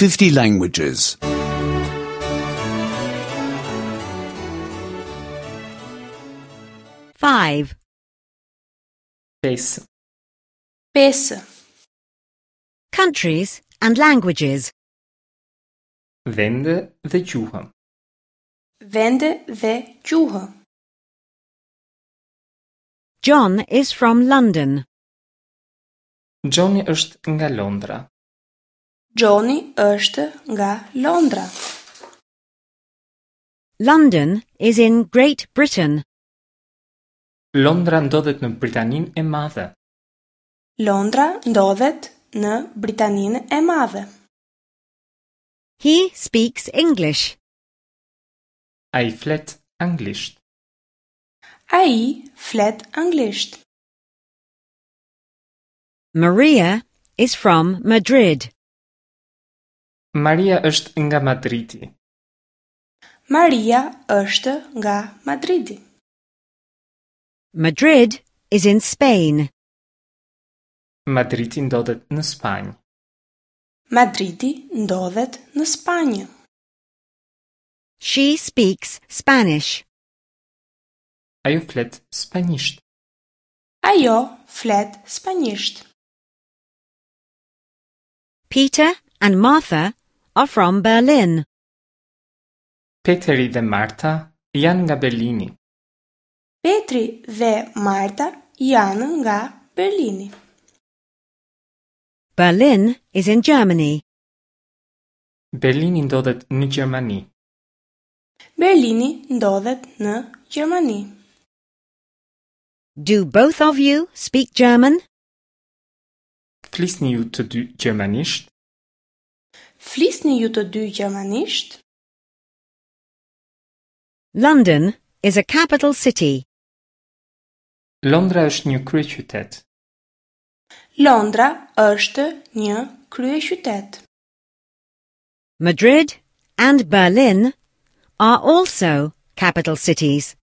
50 languages. 5. 5. 5. Countries and languages. Vende dhe gjuhë. Vende dhe gjuhë. John is from London. Johni është nga Londra. Johni është nga Londra. London is in Great Britain. Londra ndodhet në Britaninë e Madhe. Londra ndodhet në Britaninë e Madhe. He speaks English. Ai flet anglisht. Ai flet anglisht. Maria is from Madrid. Maria është nga Madridi. Maria është nga Madridi. Madrid is in Spain. Madridi ndodhet në Spanjë. Madridi ndodhet në Spanjë. She speaks Spanish. Ajo flet spanjisht. Ajo flet spanjisht. Peter and Martha are from Berlin. Peteri dhe Marta janë nga Berlini. Petri dhe Marta janë nga Berlini. Berlin is in Germany. Berlini ndodhet në Gjermani. Berlini ndodhet në Gjermani. Do both of you speak German? Flisni ju të dy gjermanisht? Flisni ju të dy gjermanisht? London is a capital city. Londra është një kryeqytet. Londra është një kryeqytet. Madrid and Berlin are also capital cities.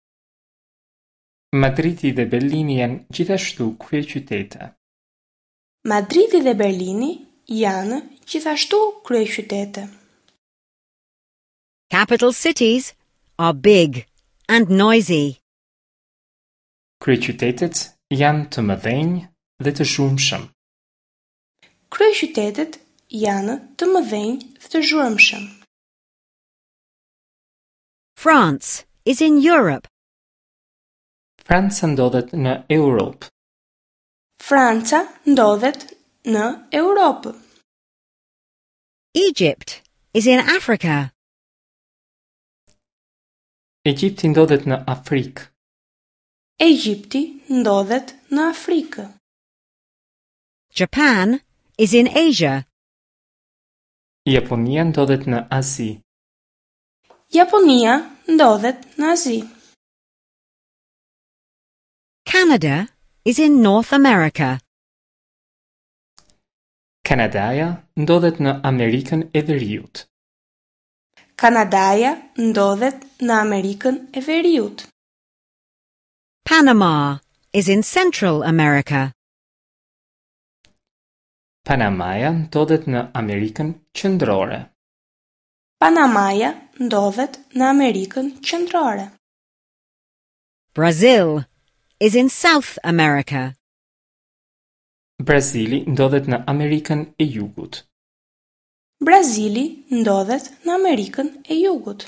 Madridi dhe Berlini janë gjithashtu kryeqytete. Madridi dhe Berlini janë gjithashtu kryeqytete. Capital cities are big and noisy. Kryeqytetet janë të mëdhenj dhe të zhurmshëm. Kryeqytetet janë të mëdhenj dhe të zhurmshëm. France is in Europe. Franca ndodhet në Europë. Franca ndodhet në Europë. Egypt is in Africa. Egjipti ndodhet në Afrikë. Egjipti ndodhet në Afrikë. Japan is in Asia. Japonia ndodhet në Azi. Japonia ndodhet në Azi. Canada is in North America. Kanadaja ndodhet në Amerikën e Veriut. Kanadaja ndodhet në Amerikën e Veriut. Panama is in Central America. Panamaja ndodhet në Amerikën Qendrore. Panamaja ndodhet në Amerikën Qendrore. Brazil is in South America. Brazili ndodhet në Amerikën e Jugut. Brazili ndodhet në Amerikën e Jugut.